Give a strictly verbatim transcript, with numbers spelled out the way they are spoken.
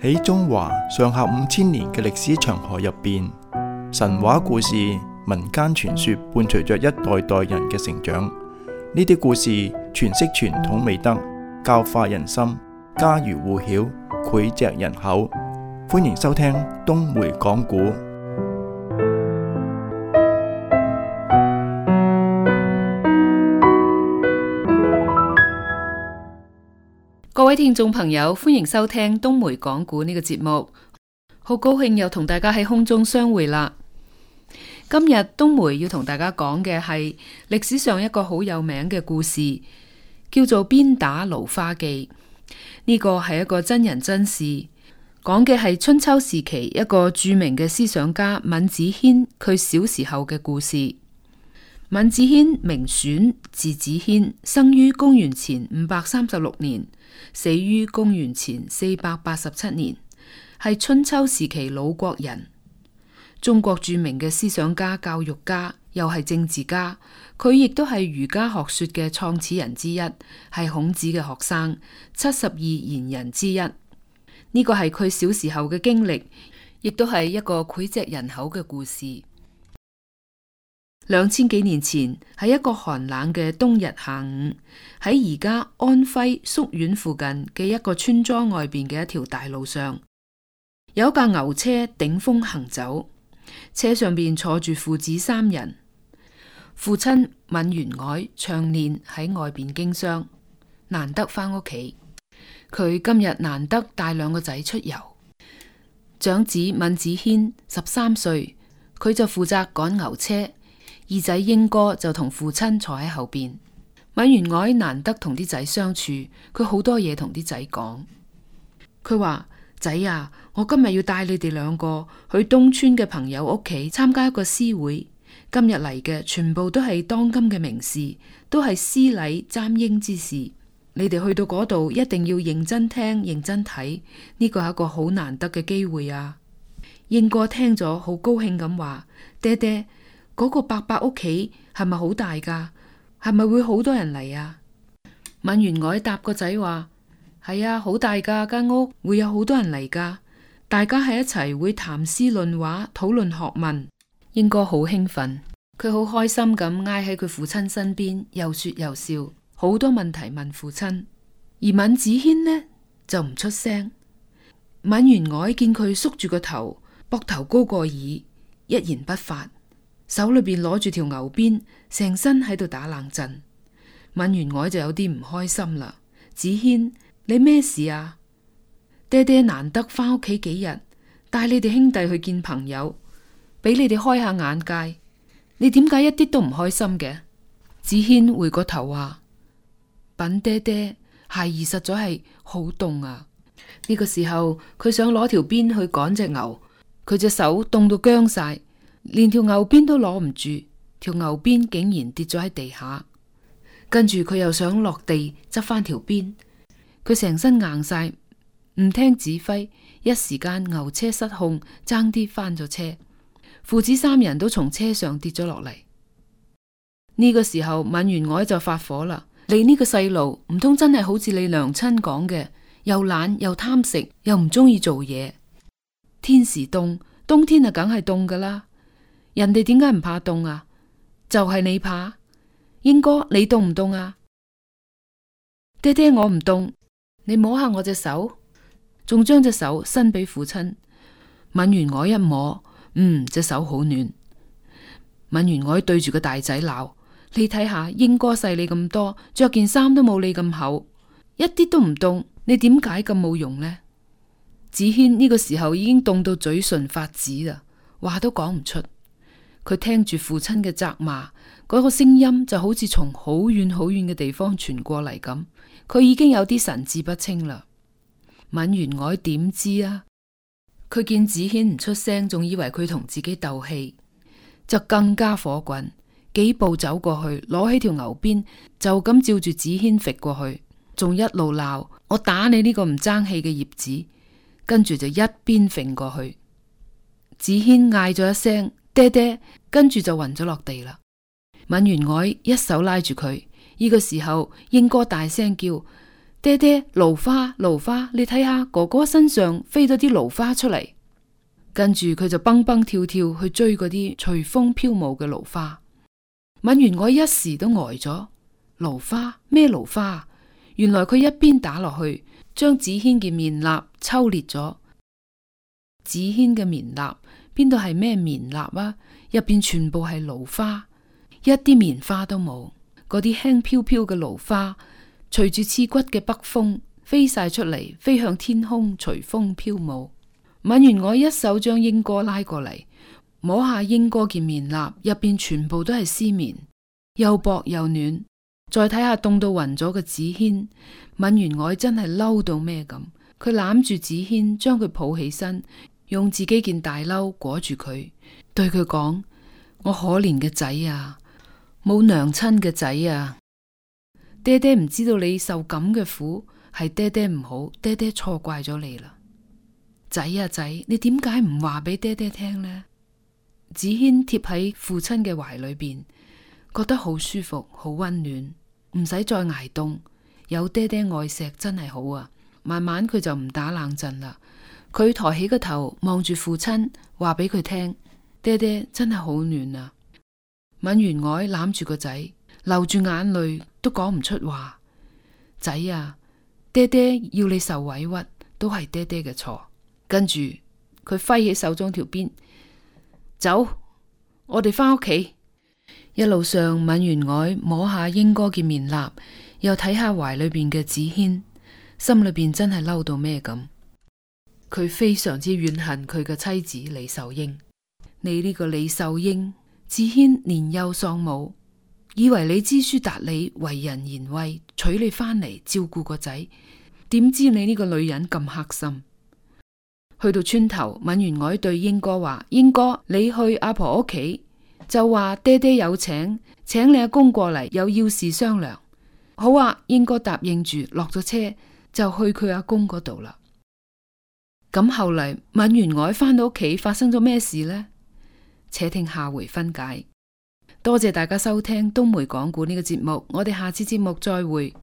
喺中華上下五千年嘅歷史長河入邊，神話故事、民間傳說伴隨着一代代人嘅成長。呢啲故事詮釋傳統美德，教化人心，家喻戶曉，膾炙人口。歡迎收聽東梅講古。各位聽眾朋友，歡迎收聽東梅講古呢個節目。好高興又同大家喺空中相會啦。今日東梅要同大家講嘅係歷史上一個好有名嘅故事，叫做鞭打蘆花記。呢個係一個真人真事，講嘅係春秋時期一個著名嘅思想家閔子騫佢小時候嘅故事。閔子騫名選，字子騫，生於公元前五百三十六年，死於公元前四百八十七年，係春秋時期魯國人。中國著名嘅思想家、教育家，又係政治家。佢亦都係儒家學說嘅創始人之一，係孔子嘅學生，七十二賢人之一。呢個係佢小時候嘅經歷，亦都係一個膾炙人口嘅故事。兩千幾年前，喺一個寒冷嘅冬日下午，喺而家安徽宿縣附近嘅一個村莊外邊嘅一條大路上，有一架牛車頂風行走，車上邊坐住父子三人。父親閔元凱長年喺外邊經商，難得返屋企。佢今日難得帶兩個仔出遊。長子閔子騫十三歲，佢就負責趕牛車。二仔英哥就同父親坐喺後邊。閔元凱難得同啲仔相處，佢好多嘢同啲仔講。佢話：仔啊，我今日要帶你哋兩個去東村嘅朋友屋企參加一個詩會。今日嚟嘅全部都係當今嘅名士，都係詩禮簪纓之士。你哋去到嗰度一定要認真聽、認真睇，呢個係一個好難得嘅機會啊！英哥聽咗好高興咁話：爹爹，嗰個伯伯屋企係咪好大噶？係咪會好多人嚟啊？閔元凱答個仔話：係啊，好大噶間屋，會有好多人嚟噶。大家喺一齊會談詩論畫，討論學問。英哥好興奮，佢好開心咁挨喺佢父親身邊，又說又笑，好多問題問父親。而閔子騫呢就唔出聲。閔元凱見佢縮住個頭，膊頭高過耳，一言不發。手裏邊攞住條牛鞭，成身喺度打冷震。閔元凱就有啲唔開心啦。子騫，你咩事啊？爹爹難得翻屋企幾日，帶你哋兄弟去見朋友，俾你哋開下眼界。你點解一啲都唔開心嘅？子騫回個頭話：稟爹爹，孩兒實在係好凍啊！呢個時候佢想攞條鞭去趕隻牛，佢隻手凍到僵晒。連條牛鞭都攞唔住，條牛鞭竟然跌咗喺地下。跟住佢又想落地執翻條鞭，佢成身硬晒，唔聽指揮，一時間牛車失控，爭啲翻咗車。父子三人都從車上跌咗落嚟。呢個時候閔元凱就發火啦：你呢個細路唔通真係好似你娘親講嘅，又懶又貪食，又唔中意做嘢。天時凍，冬天啊梗係凍噶啦。人哋點解唔怕凍啊？就係你怕。英哥，你凍唔凍啊？爹爹，我唔凍。你摸下我隻手，仲將隻手伸俾父親。閔元凱一摸，嗯，隻手好暖。閔元凱對住個大仔鬧：你睇下，英哥細你咁多，着件衫都冇你咁厚，一啲都唔凍。你點解咁冇用呢？子騫呢個時候已經凍到嘴唇發紫啦，話都講唔出。佢聽住父親嘅責罵，嗰個聲音就好似從好遠好遠嘅地方傳過嚟咁。佢已經有啲神志不清啦。閔元凱點知啊？佢見子騫唔出聲，仲以為佢同自己鬥氣，就更加火滾，幾步走過去，攞起條牛鞭，就咁照住子騫揈過去，仲一路鬧：我打你呢個唔爭氣嘅葉子！跟住就一鞭揈過去。子騫嗌咗一聲：爹爹！跟住就暈咗落地啦。閔元凱一手拉住佢，呢個時候英哥大聲叫：爹爹，蘆花，蘆花，你睇下哥哥身上飛咗啲蘆花出嚟。跟住佢就蹦蹦跳跳去追嗰啲隨風飄舞嘅蘆花。敏員外一時都呆咗，蘆花咩蘆花？原來佢一邊打落去，將子軒嘅棉衲抽裂咗。子軒嘅棉衲邊度係咩棉衲啊？入邊全部係蘆花，一啲棉花都冇。嗰啲輕飄飄嘅蘆花，隨住刺骨嘅北風飛晒出嚟，飛向天空，隨風飄舞。敏員外一手將英哥拉過嚟，摸下英哥件棉衲，入邊全部都係絲棉，又薄又暖。再睇下凍到暈咗嘅子軒，敏員外真係嬲到咩咁。佢攬住子軒，將佢抱起身，用自己件大褸裹住佢，對佢講：我可憐嘅仔啊，冇娘親嘅仔啊！爹爹唔知道你受咁嘅苦，係爹爹唔好，爹爹錯怪咗你啦。仔啊仔，你點解唔話俾爹爹聽呢？子軒貼喺父親嘅懷裏邊，覺得好舒服，好溫暖，唔使再挨凍，有爹爹愛錫真係好啊！慢慢佢就唔打冷震啦。佢抬起個頭望住父親，話俾佢聽：爹爹真係好暖啊！敏員外攬住個仔，流住眼淚都講唔出話。仔啊，爹爹要你受委屈，都係爹爹嘅錯。跟住佢揮起手中條鞭，走，我哋翻屋企。一路上，敏員外摸下英哥嘅棉衲，又睇下懷裏邊嘅子軒，心裏邊真係嬲到咩咁。佢非常之怨恨佢嘅妻子李秀英。你呢個李秀英，子軒年幼喪母，以為你知書達理，為人賢惠，娶你翻嚟照顧個仔，點知你呢個女人咁黑心。去到村頭，敏員外對英哥話：英哥，你去阿婆屋企，就話爹爹有請，請你阿公過嚟，有要事商量。好啊，英哥答應住，落咗車就去佢阿公嗰度啦。咁後嚟敏員外翻到屋企，發生咗咩事呢？且聽下回分解。多謝大家收聽東梅講故呢個節目，我哋下次節目再會。